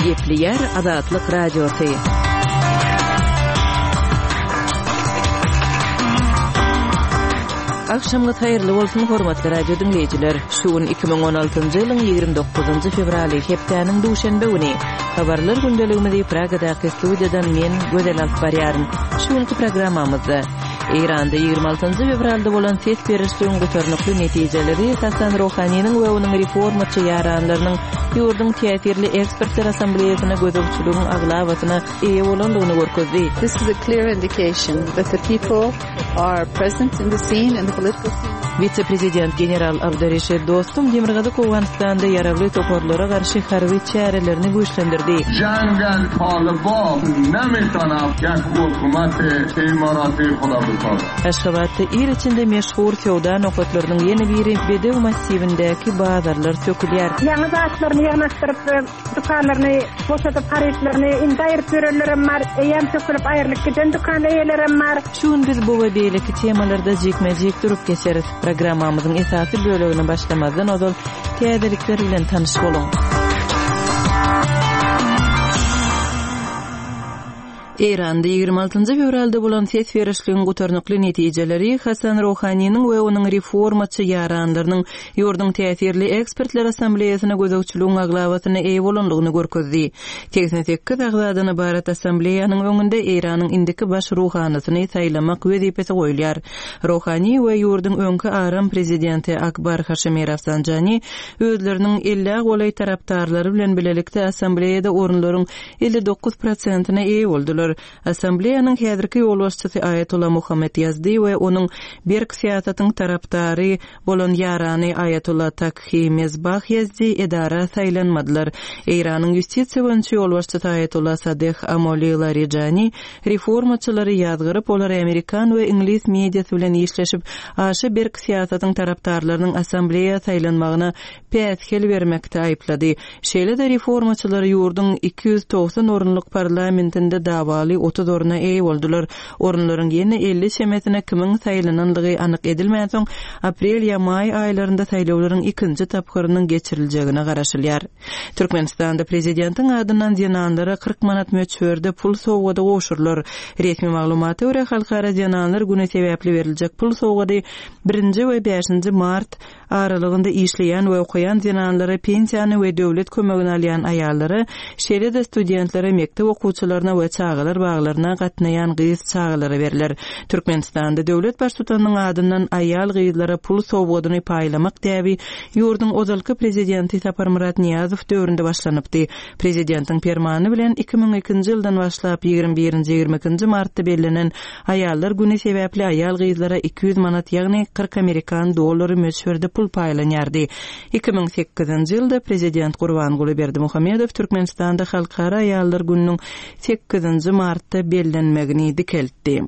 Gepleýär Azatlyk Radiosy. Agşamyňyz haýyrly bolsun, hormatly radio diňleýjiler! Şu gün 2016-njy ýylyň 29-njy fewraly, hepdäniň duşenbe güni. Habarlar gündeligimizi Pragadaky studiýadan men, Gözel alyp barýaryn. Şu günki programmamyzda Eýranda 26-njy fewralda bolan ses berişligiň gutarnykly netijeleri Hasan Rohaniniň we onuň reformaçy ýaranlarynyň ýurduň täsirli ekspertler assambleýasyna gözegçiligiň aglabasyna eýe bolandygyny görkezdi. This is a clear indication that the people are present in the scene, in the political scene. Wise-prezident general Abdureşid Dostum Demirgazyk Owganystanda ýaragly toparlara garşy harby çärelerini güýçlendirdi. Aşgabatda il içinde meşhur söwda nokatlarynyň ýene biri Bedew massiwindäki bazarlar sökülýär. Ýaňy zatlaryny ýygnaşdyryp, dükanlaryny boşadyp, harytlaryny indi aýryp ýörenlerem bar, eýýäm sökülip aýrylyp giden dükan eýelerem bar. Şu gün biz bu we beýleki temalarda jikme-jik durup geçeris. Programmamyzyň esasy bölegine başlamazdan ozal täzelikler bilen tanyş boluň. Eýranda 26-njy fewralda bolan ses berişligiň gutarnykly netijeleri Hasan Rohaniniň we onuň reformaçy ýaranlarynyň ýurduň täsirli ekspertler assambleýasyna gözegçiligiň aglabasyna eýe bolandygyny görkezdi. 88 agzadan ybarat assambleýanyň öňünde Eýranyň indiki baş ruhanysyny saýlamak wezipesi goýulýar. Rohani we ýurduň öňki aram prezidenti Akbar Haşemi Rafsanjani özleriniň ellä golaý tarapdarlary bilen bilelikde assambleýada orunlaryň 59 prosentine eýe boldular. Assambleýanyň häzirki ýolbaşçysy Aýatolla Muhammet Ýazdi we onuň berk syýasatyň tarapdary bolan ýarany Aýatolla Takhi Mezbah Ýazdi edara saýlanmadylar. Eýranyň ýustisiýa boýunça ýolbaşçysy Aýatolla Sadeh Amoli Larijani reformaçylary ýazgaryp, olary amerikan we iňlis mediasy bilen işleşip, aşa berk syýasatyň tarapdarlarynyň assambleýa saýlanmagyna päsgel bermekde aýyplady. Şeýle-de reformaçylar ýurduň 290 orunlyk parlamentinde dawaly 30 orna eýe boldular. Orunlaryň ýene 50 çemesine kimiň saýlananlygy anyk edilmänsoň, aprel ýa maý aýlarynda saýlawlaryň ikinji tapgyrynyň geçiriljegine garaşylýar. Türkmenistanda prezidentiň adyndan zenanlara 40 manat möçberde pul sowgady gowşurylar. Resmi maglumata görä, Halkara zenanlar güni sebäpli beriljek pul sowgady birinji we bäşinji mart aralygynda işleýän we okaýan zenanlara, pensiýany we döwlet kömegini alýan aýallara, şeýle-de studentlere, mekdep okuwçylaryna we çagalar baglaryna gatnaýan gyz çagalara berler. Türkmenistanda döwlet Baştutanynyň adyndan aýal-gyzlara pul sowgadyny paýlamak däbi ýurduň ozalky Prezidenti Saparmyrat Nyýazow döwründe başlanypdy. Prezidentiň Permany bilen 2002-nji ýyldan başlap ýigrimi birinji, ýigrimi ikinji martda bellenen Aýallar güni sebäpli aýal-gyzlara 200 manat, ýagny 40 amerikan dollary möçberde pul paýlanýardy. 2008-nji ýylda prezident Gurbanguly Berdimuhamedow Türkmenistanda Halkara aýallar gününiň sekizinji martda bellenmegini dikeltdi.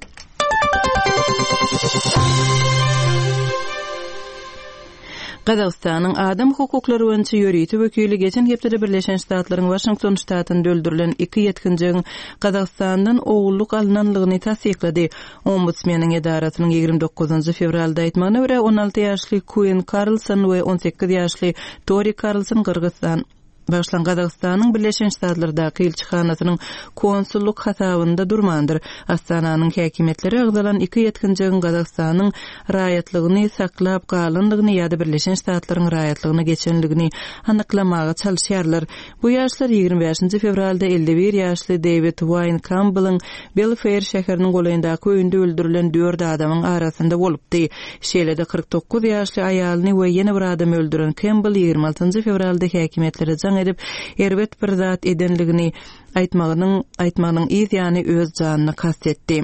Gazagystanyň adam hukuklary boýunça ýörite wekili geçen hepdede Birleşen Ştatlaryň Waşington ştatynda öldürilen iki ýetginjegiň Gazagystandan ogullyk alnanlygyny tassyklady. Ombudsmeniň edarasynyň 29 fewralda aýtmagyna görä, 16 ýaşly Kuin Karlson we 18 ýaşly Tori Karlson Gyrgyzystan Bagyşlaň, Gazagystanyň Birleşen Ştatlardaky ilçihanasynyň konsullyk hasabynda durmandyr. Astananyň häkimiýetleri agzalan iki ýetginjegiň Gazagystanyň raýatlygyny saklap galandygyny ýa-da Birleşen Ştatlaryň raýatlygyna geçenligini anyklamaga çalyşýarlar. Bu ýaşlar 25-nji fewralda 51 ýaşly Deýwid Waýn Kampbelliň Belfeýr şäheriniň golaýyndaky öýünde öldürilen dört adamyň arasynda bolupdy. Şeýle-de, 49 ýaşly aýalyny we ýene bir adamy öldüren Kempbell 26-njy fewralda häkimiýetlere jaň edip, erbet bir zat edenligini aýtmagynyň aýtmagynyň yz ýany öz janyna kast etdi.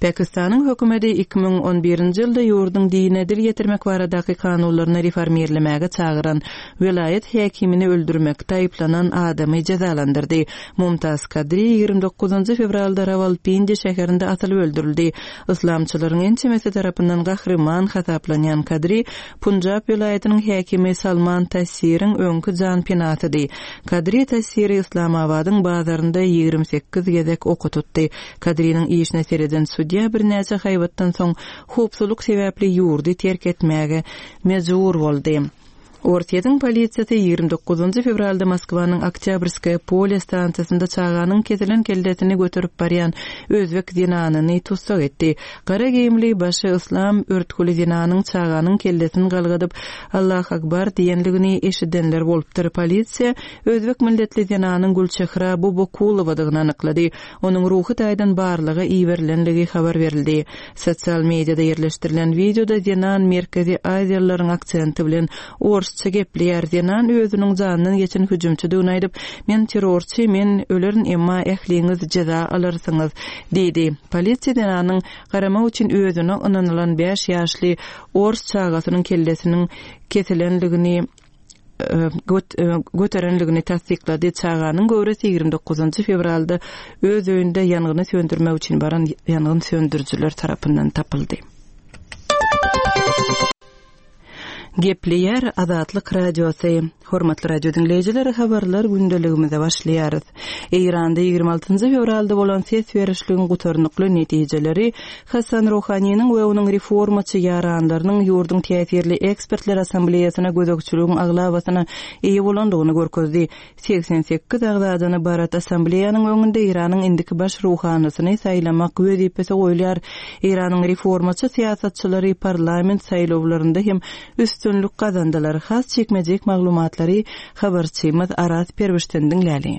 Pakistanyň hökümeti 2011-nji ýylda ýurduň dine dil ýetirmek baradaky kanunlaryny reformirlemäge çagyran welaýat häkimini öldürmekde aýyplanan adamy jezalandyrdy. Mumtaz Kadri 29-njy fewralda Rawalpindi şäherinde asylyp öldürildi. Yslamçylaryň ençemesi tarapyndan gahryman hasaplanýan Kadri Punjab welaýatynyň häkimi Salman Tasiriň öňki janpenasydy. Kadri Tasiri Yslamabadyň bazarynda. hatarynda 28 gezek oka tutdy. Kadriniň işine sereden sudýa birnäçe haýbatdan soň howpsuzlyk sebäpli ýurdy terk etmäge mejbur boldy. Orsýetiň polisiýasy 29 fewralda Moskwanyň Oktýabrskoýe polýe stansiýasynda çaganyň kesilen kellesini göterip barýan özbek zenanyny tussag etdi. Gara geýimli, başy yslam örtgüli zenanyň çaganyň kellesini galgadyp, Allah Akbar diýenligini eşidenler bolupdyr. Polisiýa özbek milletli zenanyň Gülçehra Bobokulowadygyny anyklady. Onuň ruhy taýdan barlaga iberilenligi habar berildi. Sosial mediada ýerleşdirilen wideoda zenan merkezi aziýalylaryň aksenti bilen orsça gepleýär. Zenan özüniň janyndan geçen hüjümçidigini aýdyp, Men terrorçy, men ölerin, emma ähliňiz jeza alarsyňyz diýdi. Polisiýa zenanyň garamak üçin özüne ynanylan bäş ýaşly ors çagasynyň kellesiniň kesilenligini göterenligini tassyklady. Çaganyň göwresi 29 fewralda öz öýünde ýangyny söndürmek üçin baran ýangyn söndürijiler tarapyndan tapyldy. Gepleýär Azatlyk Radiosy. Hormatly radio diňleýjiler, habarlar gündeligimize başlaýarys. Eýranda 26 fewralda bolan ses berişligiň gutarnykly netijeleri Hasan Ruhaniniň we onuň reformaçy ýaranlarynyň ýurduň täsirli ekspertler assambleýasyna gözegçiligiň aglabasyna eýe bolandygyny görkezdi. 88 agzadan ybarat assambleýanyň öňünde Eýranyň indiki baş ruhanysyny saýlamak wezipesi goýulýar. Eýranyň reformaçy syýasatçylary parlament saýlawlarynda hem üstünlik gazandylar. Has jikme-jik maglumatlary habarçymyz Araz Perwişden diňläli.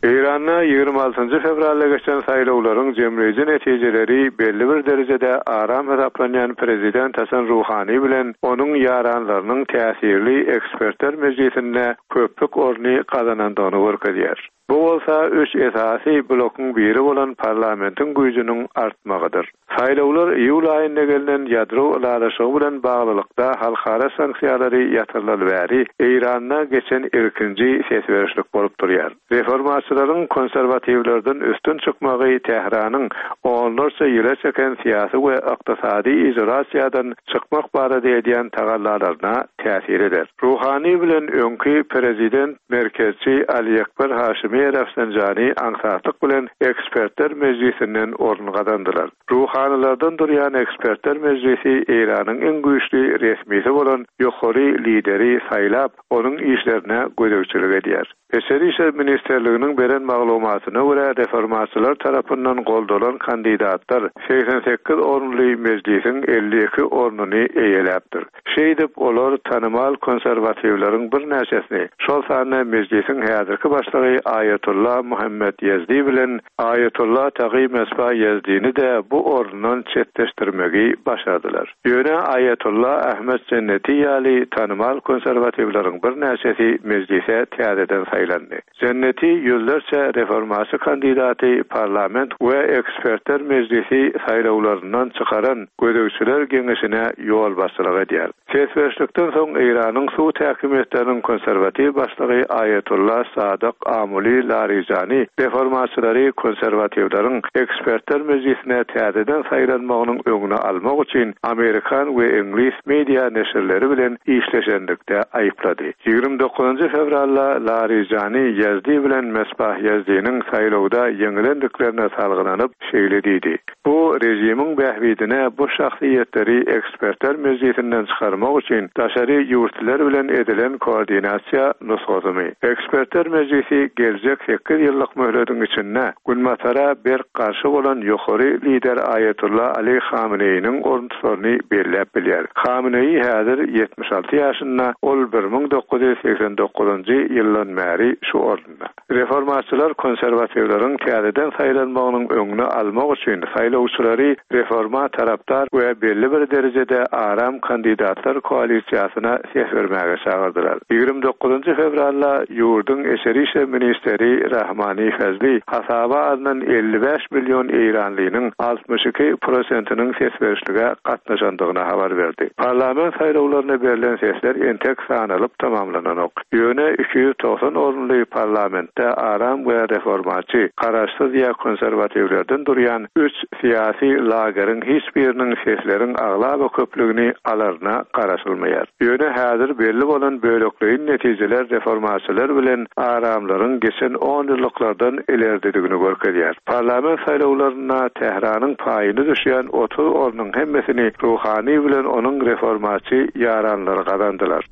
Eýranda 26 fewralda geçen saýlawlaryň jemleýji netijeleri belli bir derejede aram hasaplanýan prezident Hasan Ruhani bilen onuň ýaranlarynyň täsirli ekspertler mejlisinde köplük orny gazanandygyny görkezýär. Bu bolsa üç esasy blokuň biri bolan parlamentiň güýjüniň artmagydyr. Saýlawlar iýul aýynda gelnen ýadro ylalaşygy bilen baglylykda halkara sanksiýalary ýatyrylaly bäri Eýranda geçen ilkinji ses berişlik bolup durýar. Reformaçylaryň konserwatiwlerden üstün çykmagy Tähranyň onlarça ýyla çeken syýasy we ykdysady izolasiýadan çykmak barada edýän tagallalaryna täsir eder. Ruhani bilen öňki prezident merkezçi Aliekber Haşimi Rafsanjani aňsatlyk bilen Ekspertler mejlisinden orun gazandylar. Ruhanylardan durýan Ekspertler mejlisi Eýranyň iň güýçli resmisi bolan ýokary lideri saýlap, onuň işlerine gözegçilik edýär. Içeri işler ministrliginiň beren maglumatyna görä, reformaçylar tarapyndan goldalan kandidatlar 88 orunly mejlisiň 52 ornuny eýeläpdir. Şeýdip, olar tanymal konserwatiwleriň birnäçesini, şol sanda Mejlisiň häzirki başlygy Aýatolla Muhammet Ýezdi bilen Aýatolla Tagy Mesba Ýezdini-de bu orundan çetleşdirmegi başardylar. Ýöne Aýatolla Ahmet Jenneti ýaly tanymal konserwatiwleriň birnäçesi Mejlise täzeden saýlandy. Jenneti ýüzlerçe reformaçy kandidaty parlament we ekspertler mejlisi saýlawlaryndan çykaran Gözegçiler geňeşine ýolbaşçylyk edýär. Ses berişlikden soň Eýranyň sud häkimiýetleriniň konserwatiw başlygy Aýatolla Sadyk Amuli Larijani reformaçylary konserwatiwleriň ekspertler mejlisine täzeden saýlanmagynyň öňüni almak üçin amerikan we iňlis media neşirleri bilen işleşenlikde aýyplady. 29 fewralda Larijani Ýazdi bilen Mesbah Ýazdiniň saýlawda ýeňilendiklerine salgylanyp, şeýle diýdi, Bu režimiň bähbidine bu şahsyýetleri ekspertler mejlisinden çykarmak üçin daşary ýurtlylar bilen edilen koordinasiýa nusgasymy? Ekspertler mejlisi geljek sekiz ýyllyk möhlediň içinde Günbatara berk garşy bolan ýokary lider Aýatolla Ali Hameneýiniň oruntusaryny belläp bilýär. Hameneýi häzir 76 ýaşynda, ol 1989-njy ýyldan bäri şu orunda. Reformaçylar konserwatiwleriň täzeden saýlanmagynyň öňüni almak üçin saýlawçylary reforma tarapdar we belli bir derejede aram kandidatlar koalisiýasyna ses bermäge çagyrdylar. 29 fewralda ýurduň içeri işler ministri Rahmani Fazli hasaba alnan 55 million eýranlynyň 62 prosentiniň ses berişlige gatnaşandygyny habar berdi. Parlament saýlawlaryna berlen sesler entek sanalyp tamamlananok. Ýöne 290 orunly parlamentde aram we reformaçy, garaşsyz ýa konserwatiwlerden durýan üç syýasy lageriň hiç biriniň sesleriň aglaba köplügini alaryna. garaşylmaýar. Ýöne häzir belli bolan bölekleýin netijeler reformaçylar bilen aramlaryň geçen onýyllyklardan ilerdedigini görkezýär. Parlament saýlawlarynda Tähranyň paýyna düşýän 30 ornuň hemmesini Ruhani bilen onuň reformaçy ýaranlary gazandylar.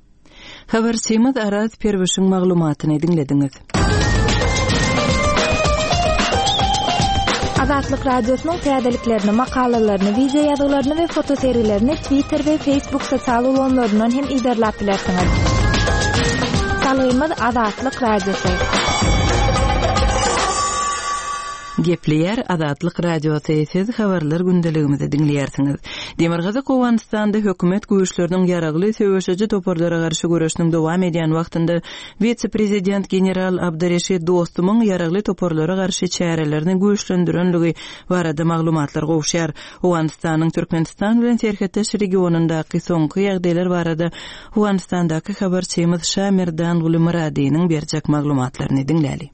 Habarçymyz Araz Perwişiň maglumatyny diňlediňiz. Azatlyk Radiosynyň täzeliklerini, makalalaryny, wideo ýazgylaryny we fotosergilerini Twitter we Facebook sosial ulgamlaryndan hem yzarlap bilersiňiz. Salgymyz Azatlyk Radiosy. Gepleýär Azatlyk Radiosy, siz habarlar gündeligimizi diňleýärsiňiz. Demirgazyk Owganystanda hökümet güýçleriniň ýaragly söweşiji toparlara garşy göreşiniň dowam edýän wagtynda wise-prezident general Abdyreşit Dostumyň ýaragly toparlara garşy çärelerini güýçlendirenligi barada maglumatlar gowuşýar. Owganystanyň Türkmenistan bilen serhetdeş regionyndaky soňky ýagdaýlar barada Owganystandaky habarçymyz Şamerdanguly Myradynyň berjek maglumatlaryny diňläli.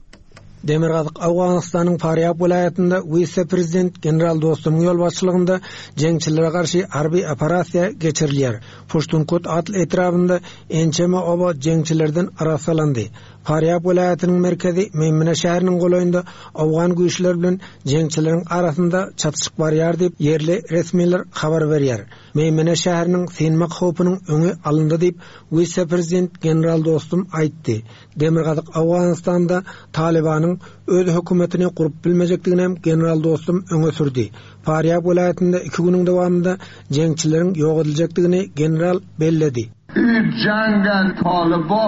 Demirgazyk Owganystanyň Farýab welaýatynda wise-prezident general Dostumyň ýolbaşçylygynda jeňçilere garşy harby operasiýa geçirilýär. Puştunkut atly etrabynda ençeme oba jeňçilerden arassalandy. Farýab welaýatynyň merkezi Meýmene şäheriniň golaýynda owgan güýçleri bilen jeňçileriň arasynda çatyşyk barýar diýip, ýerli resmiler habar berýär. Meýmene şäheriniň synmak howpunyň öňi alyndy diýip, wise-prezident general Dostum aýtdy. Demirgazyk Owganystanda Talybanyň öz hökümetini gurup bilmejekdigini hem general Dostum öňe sürdi. Farýab welaýatynda iki günüň dowamynda jeňçileriň ýok ediljekdigini general belledi. Ü jeňge Talyba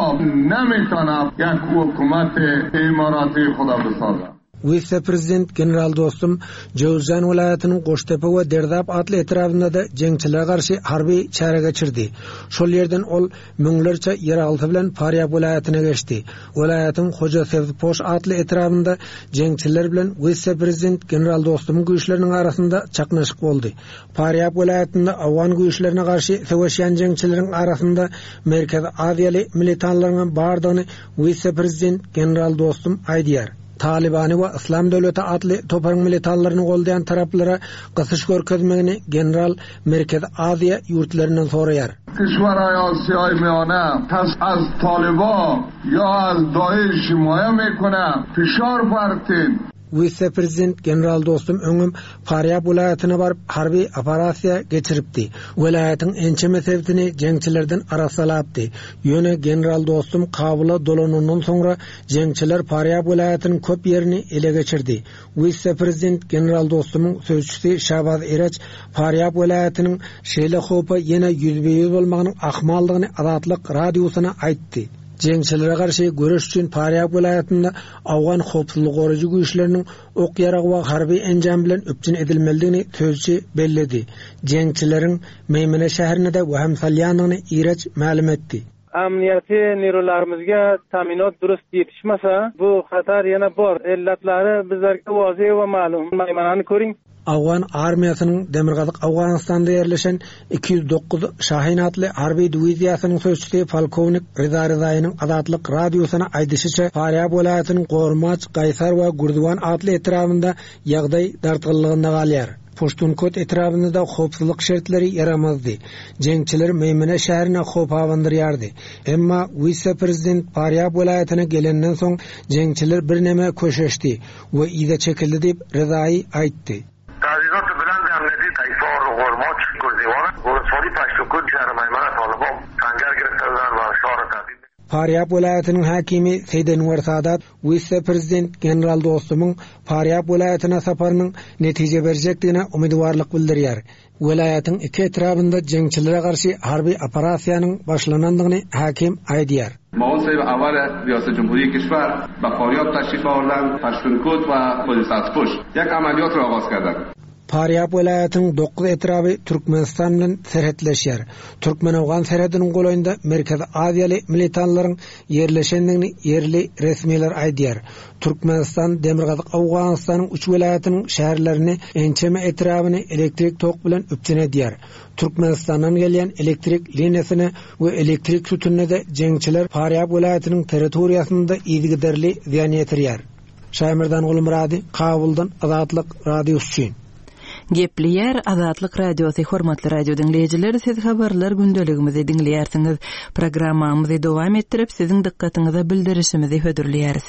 nemitana ýek hökümeti imarati huda bisaza. Wise-prezident general Dostum Jöwüzjan welaýatynyň Goştepe we Derzap atly etrabynda-da jeňçilere garşy harby çäre geçirdi. Şol ýerden ol müňlerçe ýaraglysy bilen Farýab welaýatyna geçdi. Welaýatyň Hoja Sebzpoş atly etrabynda jeňçiler bilen wise-prezident general Dostumyň güýçleriniň arasynda çaknyşyk boldy. Farýab welaýatynda owgan güýçlerine garşy söweşýän jeňçileriň arasynda Merkezi Aziýaly militanlaryňam bardygyny Wise-prezident general Dostum aýdýar, Talybany we Yslam döwleti atly toparyň militanlaryny goldaýan taraplara gysyş görkezmegini general Merkezi Aziýa ýurtlaryndan soraýar. Kişweraý Asiýaý Miýane kes az Talyba ýa az Daeş himaýe mekone fişar bartin. Wise-prezident general Dostum öňem Farýab welaýatyna baryp, harby operasiýa geçiripdi. Welaýatyň ençeme sebitini jeňçilerden arassalapdy. Ýöne general Dostum Kabula dolanandan soňra jeňçiler Farýab welaýatynyň köp ýerini ele geçirdi. Wise-prezident general Dostumyň sözçüsi Şabaz Ireç Farýab welaýatynyň şeýle howpa ýene ýüzbe-ýüz bolmagynyň ahmaldygyny Azatlyk Radiosyna aýtdy. Jeňçilere garşy göreş üçin Farýab welaýatynda owgan howpsuzlygy goraýjy güýçleriniň ok-ýarag we harby enjam bilen üpjün edilmelidigini sözçi belledi. Jeňçileriň Meýmene şäherine-de wehim salýandygyny Ireç mälim etdi. Amniýaty nirularymyzga taminot durust ýetişmasa, bu hatar ýene bor. Ellatlary bizlerge wazi we malum. Maýmanany körüň. Owgan armiýasynyň Demirgazyk Owganystanda ýerleşen 209 Şahin atly harby diwiziýasynyň sözçüsi polkownik Ryza Ryzaýynyň Azatlyk Radiosyna aýdyşyça, Farýab welaýatynyň Gormaç, Gaýsar we Gürziwan atly etrabynda ýagdaý dartgynlygynda galýar. Puştunkot etrabynda-da howpsuzlyk şertleri ýaramazdy. Jeňçiler Meýmene şäherine howp abandyrýardy. Emma wise-prezident Farýab welaýatyna gelenden soň jeňçiler birneme köşeşdi. we yza çekildi diýip, Rezaýy aýtdy. Tajizat belend amniyeti Kaysar, Ghormach, Gurziwan, Woloswali Paştukut, şähri Maýmana Talyban sangar girifte budan we şahri tahdid Farýab welaýatynyň häkimi Seýd Enwer Sadat wise-prezident general Dostumyň Farýab welaýatyna saparynyň netije berjekdigine umydywarlyk bildirýär. Welaýatyň iki etrabynda jeňçilere garşy harby operasiýanyň başlanandygyny häkim aýdýar. Maun sahib awal riyaset jumhuri kişwer be Faryab teşrif awardand, Paştunkot we Pol Sabzpuş ýek amaliyot ra agaz kerdand. Farýab welaýatynyň dokuz etraby Türkmenistan bilen serhetleşýär. Türkmen-owgan serhediniň golaýynda Merkezi Aziýaly militanlaryň ýerleşendigini ýerli resmiler aýdýar. Türkmenistan Demirgazyk Owganystanyň üç welaýatynyň şäherlerini, ençeme etrabyny elektrik tok bilen üpjün edýär. Türkmenistandan gelýän elektrik liniýasyna we elektrik sütünine-de jeňçiler Farýab welaýatynyň territoriýasynda yzygiderli zyýan ýetirýär. Şaýmerdan Gulmyrady, Kabuldan Azatlyk Radiosy üçin. Gepleýär Azatlyk Radiosy Hormatly radio diňleýjiler, siz habarlar gündeligimizi diňleýärsiňiz. Programmamyzy dowam etdirip, siziň dykgatyňyza bildirişimizi hödürleýäris.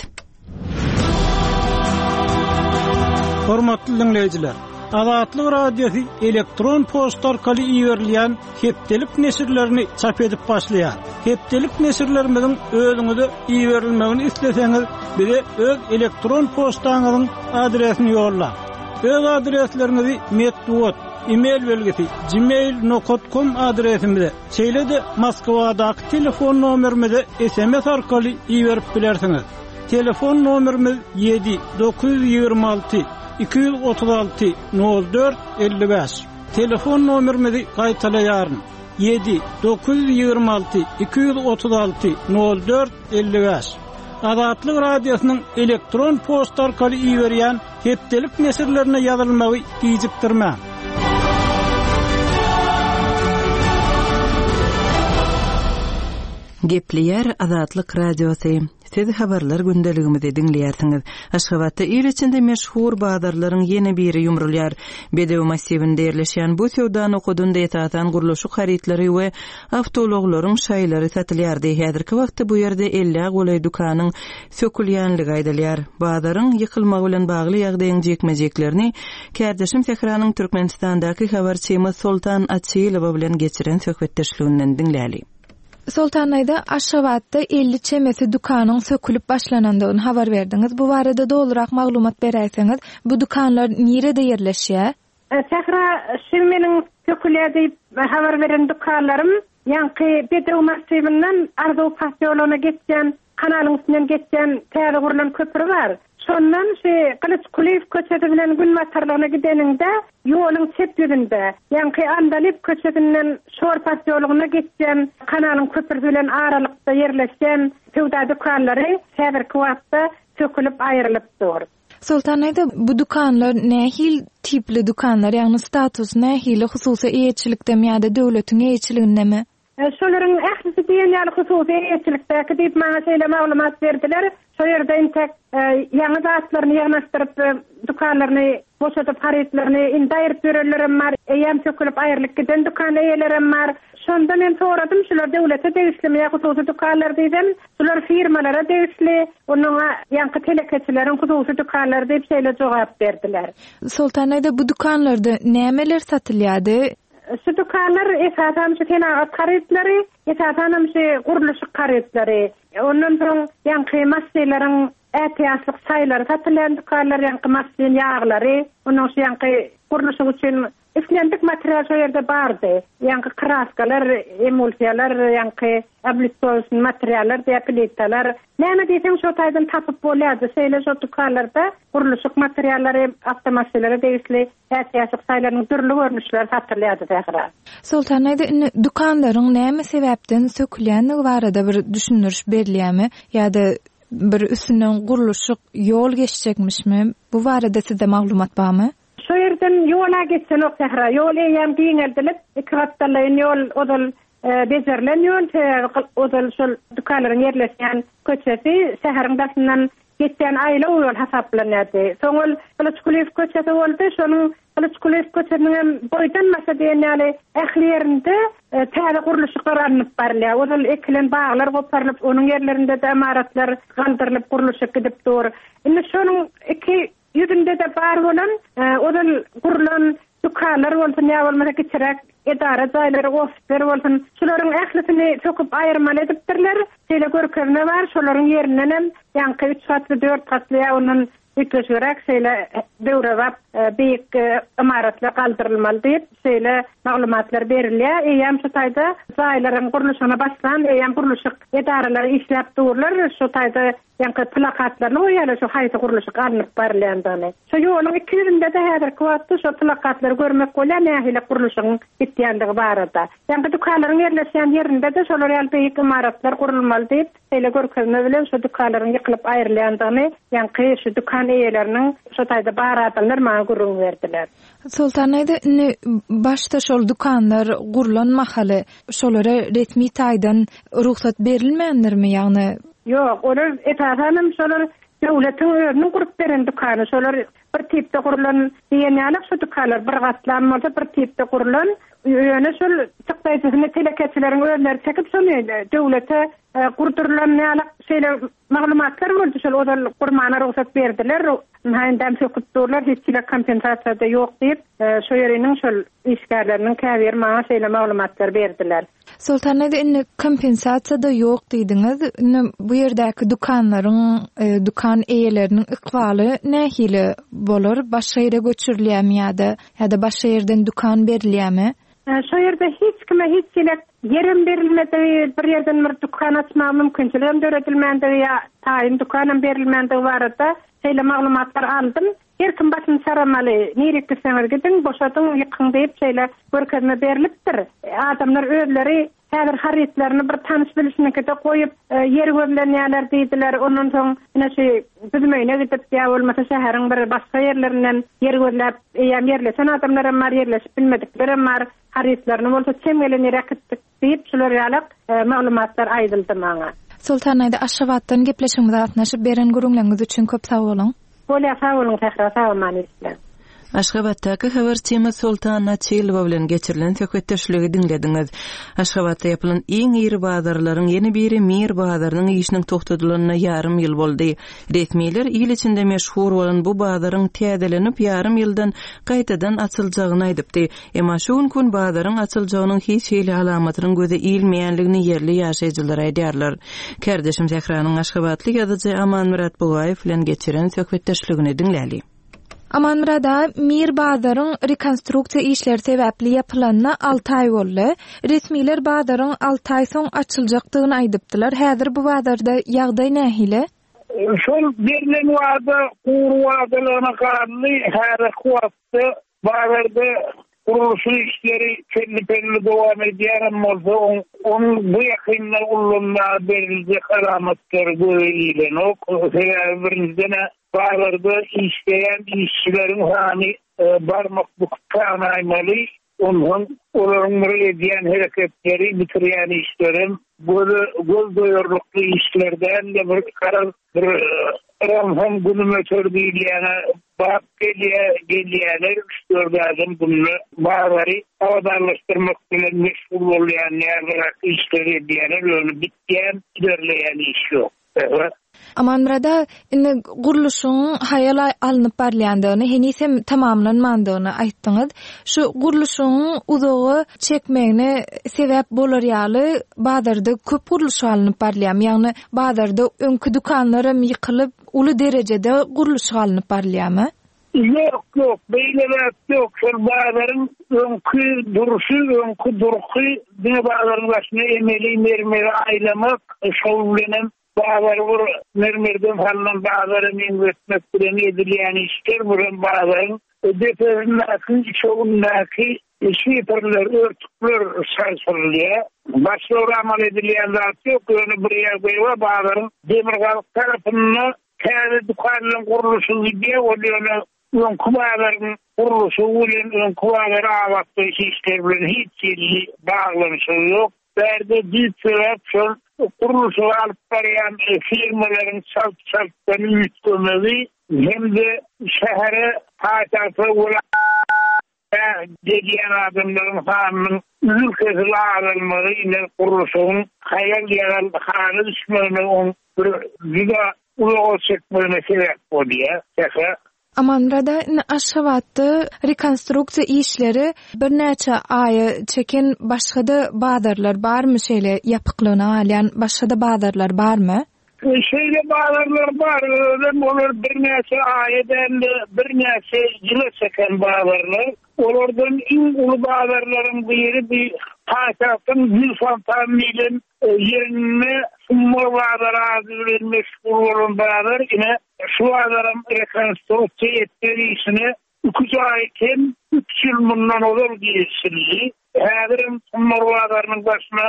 Hormatly diňleýjiler! Azatlyk Radiosy elektron poçta arkaly iberilýän hepdelik neşirlerini çap edip başlaýar. Hepdelik neşirlerimiziň özüňize iberilmegini isleseňiz, bize öz elektron poçtaňyzyň adresini ýollaň. Öz adresleriňizi metbugat, e-mail belgisi, gmail nokat kom adresimize, şeýle-de Moskwadaky telefon nomerimize sms arkaly iberip bilersiňiz. Telefon nomerimiz ýedi, 926 236 04 55. Telefon nomerimizi gaýtalaýaryn, ýedi, 926 236 04 55. Azatlyk Radiosynyň elektron poçta arkaly iberýän Hepdelik neşirlerine ýazylmagy gijikdirmäň. Gepleýär Azatlyk Radiosy. Siz habarlar gündeligimizi diňleýärsiňiz. Aşgabatda il içinde meşhur bazarlaryň ýene biri ýumrulýar. Bedew massiwinde ýerleşýän bu söwda nokadynda esasan gurluşyk harytlary we awtoulaglaryň şaýlary satylýardy. Häzirki wagtda bu ýerde ellä golaý dükanyň sökülýänligi aýdylýar. Bazaryň ýykylmagy bilen bagly ýagdaýyň jikme-jiklerini kärdeşim Sähranyň Türkmenistandaky habarçymyz Soltan Açylowa bilen geçiren söhbetdeşliginden diňläli. Soltan daýza, Aşgabatda 50 çemesi dükanyň sökülip başlanandygyny habar berdiňiz. Bu barada dolurak maglumat beräýseňiz? Bu dükanlar nirede ýerleşýär? Sähra, şu meniň sökülýär diýip habar beren dükanlarym ýaňky Bedew massiwinden Arzuw posýologyna geçýän kanalyň üstünden geçýän täze gurlan köpri bar. Şondan şu Gylyç Kulyýew köçesi bilen günbatarlygyna gideniňde ýoluň çep ýüzünde, ýaňky Andalyp köçesinden Şor posýologyna geçýän kanalyň köprüsi bilen aralykda ýerleşýän söwda dükanlary häzirki wagtda sökülip aýrylyp dur. Soltan daýza, bu dükanlar nähili tipli dükanlar, ýagny statusy nähili, hususy eýeçilikdemi ýa-da döwletiň eýeçiligindemi? Şolaryň ählisi diýen ýaly hususy eýeçilikdäki diýip maňa şeýle maglumat berdiler. Şo ýerde entek ýaňy zatlaryny ýygnaşdyryp, dükanlaryny boşadyp, harytlaryny indi aýryp ýörenlerem bar, eýýäm sökülip aýrylyp giden dükan eýelerem bar. Şonda men soradym, şular döwlete degişlimi ýa hususy dükanlar diýsem, şular firmalara degişli, onuň ýaňky telekeçileriň hususy dükanlary diýip şeýle jogap berdiler. Soltan daýza, bu dükanlarda nämeler satylýardy? Şu dükanlar esasan şu senagat harytlary, esasanam şu gurluşyk harytlary. Ondan soň ýaňky maşynlaryň ätiýaçlyk şaýlary satylýan dükanlar, ýaňky maşyn ýaglary, ondan şu ýaňky gurluşyk üçin Islendik material şo ýerde bardy. Ýaňky kraskalar, emulsiýalar, ýaňky oblitowşnyý materiallar diýýär, plitalar. Näme diýseň şo taýdan tapyp bolýardy. Şeýle şo dükanlarda gurluşyk materiallary, awtomaşynlara degişli ätiýaçlyk şaýlarynyň dürli görnüşleri satylýardy Sähra. Soltan daýza, indi dükanlaryň näme sebäpden sökülýändigi barada bir düşündiriş berilýärmi? Ýa-da bir üstünden gurluşyk ýol geçjekmişmi? Bu barada sizde maglumat barmy? Şo ýerden ýol-a geçenok sähra. Ýol eýýäm giňeldilip, iki gapdallaýyn ýol ozal bejerilen ýol, sebäbi ozal şol dükanlaryň ýerleşýän köçesi şäheriň daşyndan geçýän aýlaw ýol hasaplanýardy. Soň ol Gylyç Kulyýew köçesi boldy. Şonuň Gylyç Kulyýew köçesiniň hem boýdan-başa diýen ýaly ähli ýerinde täze gurluşyklar alnyp barylýar. Ozal ekilen baglar goparylyp, onuň ýerlerinde-de ymaratlar galdyrylyp, gurluşyk gidip dur. Indi şonuň iki Ýüzünde-de bar bolan, ozal gurlan dükanlar bolsun ýa bolmasa kiçiräk edara jaýlary, ofisler bolsun, şularyň ählisini söküp aýyrmaly edipdirler. Şeýle görkezme bar, şolaryň ýerindenem ýaňky üç gatly, dört gatly ýa ondan üýtgeşigräk şeýle döwrebap beýik ymaratlar galdyrylmaly diýip, şeýle maglumatlar berilýär. Eýýäm şu taýda jaýlaryň gurluşygyna başlan, eýýäm gurluşyk edaralary işläp durlar. Şu taýda Ýaňky plakatlaryny goýýarlar şu haýsy gurluşyk alnyp barylýandygyny. Şo ýoluň iki ýüzünde-de häzirki wagtda şo plakatlary görmek bolýar nähili gurluşygyň gitýändigi barada. Ýaňky dükanlaryň ýerleşýän ýerinde-de şolar ýaly beýik ymaratlar gurulmaly diýip, şeýle görkezme bilen şo dükanlaryň ýykylyp aýrylýandygyny ýaňky şu dükan eýeleriniň şo taýda bar adamlar maňa gürrüň berdiler. Soltan daýza, indi başda şol dükanlar gurlan mahaly şolara resmi taýdan rugsat berilmändirmi, ýagny Ýok, olar esasanam şolar Döwletiň özüniň gurup beren dükany, şolar bir tipde gurlan diýen ýaly şu dükanlar bir gatlam bolsa bir tipde gurlan, ýöne şol çykdaýjysyny telekeçileriň özleri çekip şony döwlete gurdurylan ýaly şeýle maglumatlar boldy şol ozal gurmana rugsat berdiler, ynha indem söküp durlar hiç hili kompensasiýa-da ýok diýip şo ýeriniň şol işgärleriniň käbiri maňa şeýle maglumatlar berdiler. Soltan ede indi kompensasiýa-da ýok diýdiňiz. Indi bu ýerdäki dükanlaryň, dükan eýeleriniň ykbaly nähili bolar? Başga ýere göçürilýärmi ýa-da ýa-da başga ýerden dükan berilýärmi? Şo ýerde hiç kime hiç hili ýerem berilmedigi, bir ýerden bir dükan açmaga mümkinçiligem döredilmändigi ýa taýyn dükanam berilmändigi barada şeýle maglumatlar aldym. Her kim başyny çaramaly, nirik gitseňiz gidiň, boşadyň, ýykyň diýip şeýle görkezme berlipdir. Adamlar özleri häzir harytlaryny bir tanyş-bilişiniňkide goýup, ýer gözlenýärler diýdiler. Ondan soň ine şu Büzmeýine gidip ýa bolmasa şäheriň bir başga ýerlerinden ýer gözläp, eýýäm ýerleşen adamlaram bar, ýerleşip bilmediklerem bar. Harytlaryny bolsa çem gelen ýere äkitdik diýip, şular ýalak maglumatlar aýdyldy maňa. Soltan aýda Aşgabatdan gepleşigimize gatnaşyp beren gürrüňleriňiz üçin köp sag boluň. Bolýar sag boluň Sähra sag aman işläň. Aşgabatdaky habarçymyz Soltan Açylowa bilen geçirilen söhbetdeşligi diňlediňiz. Aşgabatda ýapylan iň iri bazarlaryň ýene biri Mir bazarynyň işiniň togtadylanyna ýarym ýyl boldy. Resmiler il içinde meşhur bolan bu bazaryň täzelenip ýarym ýyldan gaýtadan açyljagyny aýdypdy. Emma şu günki gün bazaryň açyljagynyň hiç hili alamatynyň göze ilmeýänligini ýerli ýaşaýjylar aýdýarlar. Kärdeşim Sähranyň aşgabatly ýazyjy Amanmyrat Bugaýew bilen geçiren söhbetdeşligini diňläli. Amanmyrat aga, Mir bazaryň rekonstruksiýa işleri sebäpli ýapylanyna alty aý boldy. Resmiler bazaryň alty aý soň açyljakdygyny aýdypdylar. Häzir bu bazarda ýagdaý nähili? Şol berlen wada gury wadalygyna galdy. Häzirki wagtda bazarda gurluşyk işleri pelli-pelli dowam edýänem bolsa, onuň bu ýakynda ullanmaga beriljek alamatlary göze ilenok. Sebäbi birinjiden-ä bazarda işleýän işçileriň sany barmak büküp sanaýmaly. Onsoň olaryň bir edýän hereketleri, bitirýän işlerem göze göz doýarlykly işler däl-de, bir garaz bir yransoň günüm öter diýilýäne bap gelýär, gelýärler, üç-dört adam günde bazary abadanlaşdyrmak bilen meşgul bolýan ýalyrak işleri edýärler, ýöne bitýän, ilerleýän iş ýok. Amanmyrat aga, indi gurluşygyň haýal alnyp barylýandygyny, heniz hem tamamlanmandygyny aýtdyňyz. Şu gurluşygyň uzaga çekmegine sebäp bolar ýaly bazarda köp gurluşyk alnyp barylýarmy? Ýagny bazarda öňki dükanlaram ýykylyp, uly derejede gurluşyk alnyp barylýarmy? Ýok, ýok, beýle zat ýok. Şol bazaryň öňki durşy, öňki durky, diňe bazaryň daşyna emeli mermeri aýlamak, şol bilenem bazary bir mermerden salnan bazara meňzetmek bilen edilýän işler, bu hem bazaryň depesindäki, üçegindäki şiferler, örtükler çalşyrylýar. Başga bir amal edilýän zat ýok, ýöne bir ýagdaý bar, bazaryň demirgazyk tarapynda Täze dükanlaryň gurluşygy gidýär, ol ýöne öňki bazaryň gurluşygy bilen, öňki bazary abatlaýyş işleri bilen hiç hili baglanyşygy ýok. Bärde düýp sebäp şol gurluşygy alyp barýan firmalaryň çalt-çaltdan üýtgemegi hem-de şähere, paýtagta, welaýata gelýän adamlaryň sanynyň üzül-kesil azalmagy ine gurluşygyň haýal-ýagal hala düşmegine, oň bir juda uzaga çekmegine sebäp bolýar. Sähra. Amanmyrat aga, indi Aşgabatda rekonstruksiýa işleri birnäçe aýa çeken başga-da bazarlar barmy, şeýle ýapyklygyna galýan başga-da bazarlar barmy? Şeýle bazarlar bar, özem olar birnäçe aýa däl-de, birnäçe ýyla çeken bazarlar. Olardan iň uly bazarlaryň biri bi paýtagtyň Gül fontan diýlen ýerinde Summar bazary ady bilen meşhur bolan bazar. Ine, şu bazaram rekonstruksiýa etmek işine iki-üç aý kem, üç ýyl mundan ozal girişildi. Häzirem Summar bazarynyň başyna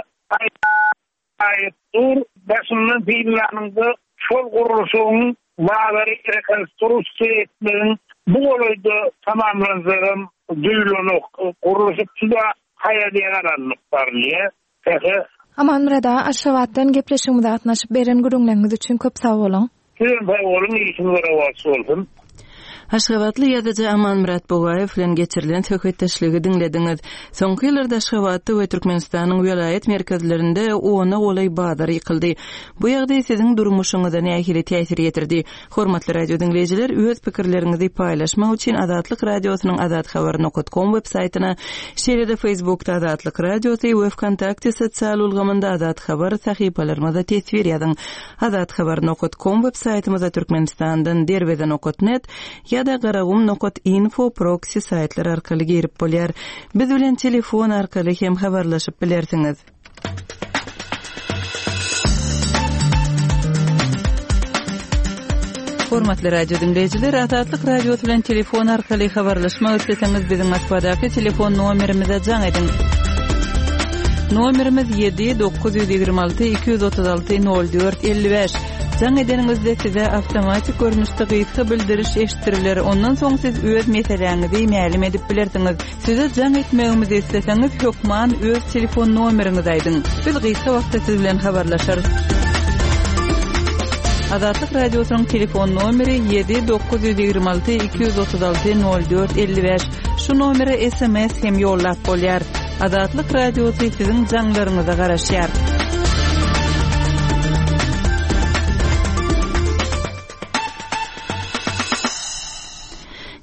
Aýyp dur, daşyndan synlanyňda şol gurluşygyň bazary rekonstruksiýa etmegiň bu golaýda tamamlanjagam duýulanok. Gurluşyk juda haýal-ýagal alnyp barylýar. Sähe. Amanmyrat aga, Aşgabatdan gepleşigimize gatnaşyp beren gürrüňleriňiz üçin köp sag boluň. Sizem sag boluň, işiňiz rowaç bolsun. Aşgabatly ýazyjy Amanmyrat Bugaýew bilen geçirilen söhbetdeşligi diňlediňiz. Soňky ýyllarda Aşgabatda we Türkmenistanyň welaýat merkezlerinde ona golaý bazar ýykyldy. Bu ýagdaý siziň durmuşyňyza nähili täsir ýetirdi? Hormatly radio diňleýjiler, öz pikirleriňizi paýlaşmak üçin Azatlyk Radiosynyň azathabar nokat kom web saýtyna, şeýle-de Facebookda Azatlyk Radiosy we Wkontakte sosial ulgamynda Azat Habar sahypalarymyza teswir ýazyň. Azathabar nokat kom web saýtymyza Türkmenistandan Derweze nokat net ýa-da Garagum nokat info proksi saýtlar arkaly girip bolýar. Biz bilen telefon arkaly hem habarlaşyp bilersiňiz. Hormatly radio diňleýjiler, Azatlyk Radiosy bilen telefon arkaly habarlaşmak isleseňiz, biziň Moskwadaky telefon nomerimize jaň ediň. Nomerimiz 7 926 236 04 55. Jaň edeniňizde size awtomatik görnüşde gysga bildiriş eşitdiriler. Ondan soň siz öz meseläňizi mälim edip bilersiňiz. Size jaň etmegimizi isleseňiz, hökman öz telefon nomeriňizi aýdyň. Biz gysga wagtda siz bilen habarlaşarys. Azatlyk Radiosynyň telefon nomeri 7 926 236 04 55. Şu nomere sms hem ýollap bolýar. Azatlyk Radiosy siziň jaňlaryňyza garaşýar.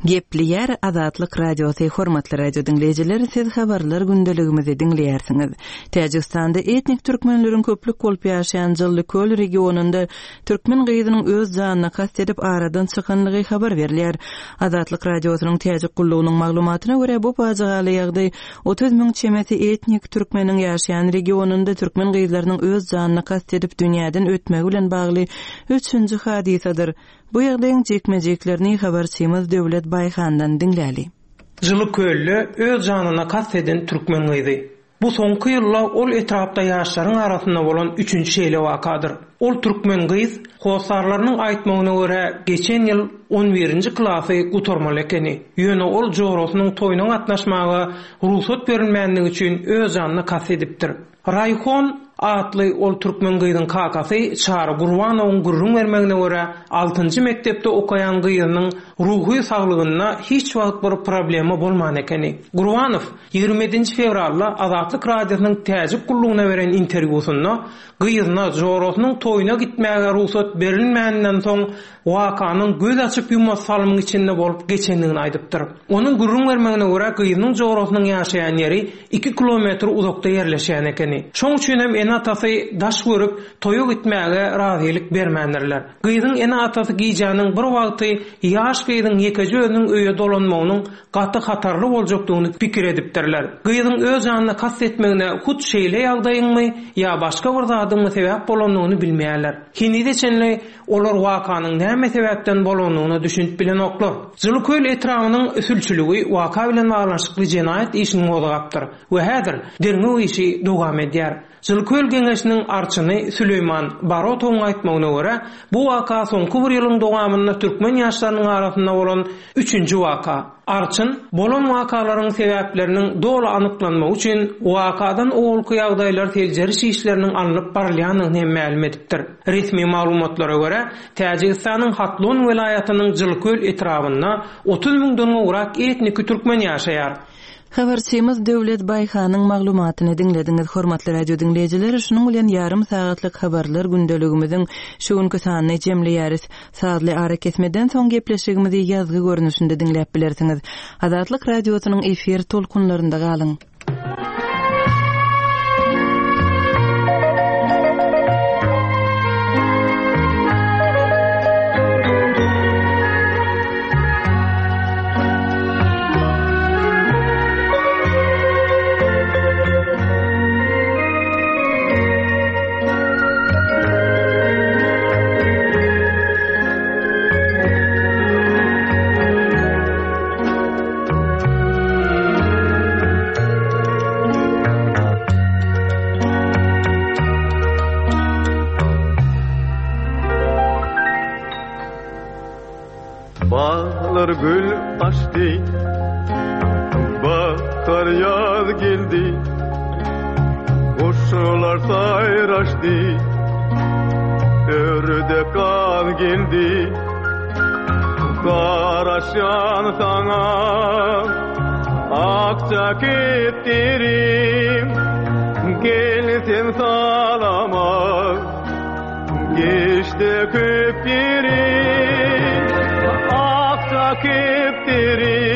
Gepleýär Azatlyk Radiosy Hormatly radio diňleýjiler siz habarlar gündeligimizi diňleýärsiňiz. Täjigistanda etnik türkmenleriň köplük bolup ýaşaýan Jyllyköl regionynda türkmen gyzynyň öz janyna kast edip aradan çykanlygy habar berilýär. Azatlyk Radiosynyň Täjik gullugynyň maglumatyna görä bu pajygaly ýagdaý 30 müň çemesi etnik türkmeniň ýaşaýan regionynda türkmen gyzlarynyň öz janyna kast edip dünýäden ötmegi bilen bagly üçünji hadysadyr. Bu ýagdaýyň jikme-jiklerini habarçymyz Döwlet Baýhandan diňläli. Jyly kölde öz janyna kast eden türkmen gyzy. Bu soňky ýylda ol etrapda ýaşlaryň arasynda bolan üçünji şeýle wakadyr. Ol türkmen gyz, hossarlarynyň aýtmagyna görä, geçen ýyl on birinji klasy gutarmaly ekeni. Ýöne ol jorasynyň toýuna gatnaşmaga rugsat berilmändigi üçin öz janyna kast edipdir. Raýhon atly ol türkmen gyzyň kakasy Çary Gurbanowyň gürrüň bermegine görä, altynjy mekdepde okaýan gyzynyň ruhy saglygynda hiç wagt bir problema bolman ekeni. Gurbanow 27 nji fewralda Azatlyk Radiosynyň Täjik gullugyna beren interwýusynda gyzyna jorasynyň toýuna gitmäge rugsat berilmäninden soň wakanyň göz açyp-ýumasy salymyň içinde bolup geçendigini aýdypdyr. Onuň gürrüň bermegine görä, gyzynyň jorasynyň ýaşaýan ýeri iki kilometr uzakda ýerleşýän ekeni. Şoň üçin hem ene-atasy daş görüp, toýa gitmäge razylyk bermändirler. Gyzyň ene-atasy gijäniň bir wagty ýaş gyzyň ýekeje özüniň öýe dolanmagynyň gaty hatarly boljakdygyny pikir edipdirler. Gyzyň öz janyna kast etmegine hut şeýle ýagdaýyňmy ýa başga bir zadyňmy sebäp bolandygyny bilmeýärler. Henize çenli Olar wakanyň näme sebäpden bolandygyna düşünip bilenoklar. Jylyköl etrabynyň sülçüligi waka bilen baglanyşykly jenaýat işini gozgapdyr we häzir derňew işi dowam edýär. Jylyköl geňeşiniň arçyny Süleýman Barotowyň aýtmagyna görä, bu waka soňky bir ýylyň dowamynda türkmen ýaşlarynyň arasynda bolan üçünji waka. Arçyn, bolan wakalaryň sebäpleriniň doly anyklanmagy üçin wakadan owalky ýagdaýlar seljeriş işleriniň alnyp barylýandygyny hem mälim edipdir. Resmi maglumatlara görä, Täjigistanyň Hatlon welaýatynyň Jylköl etrabynda 30 müňden gowrak etniki türkmen ýaşaýar. Habarçymyz Döwlet Baýhanyň maglumatyny diňlediňiz. Hormatly radio diňleýjiler, şunuň bilen ýarym sagatlyk habarlar gündeligimiziň şu günki sanyny jemleýäris. Sazly arakesmeden soň gepleşigimizi ýazgy görnüşinde diňläp bilersiňiz. Azatlyk Radiosynyň efir tolkunlarynda galyň! Baglar gül açdy, bahar ýaz geldi, Guşlar saýraşdy. Ördek gaz geldi Garaşýan saňa Akja kepderim Gel sen salama Geçdi köp ýerim Akja kepderim.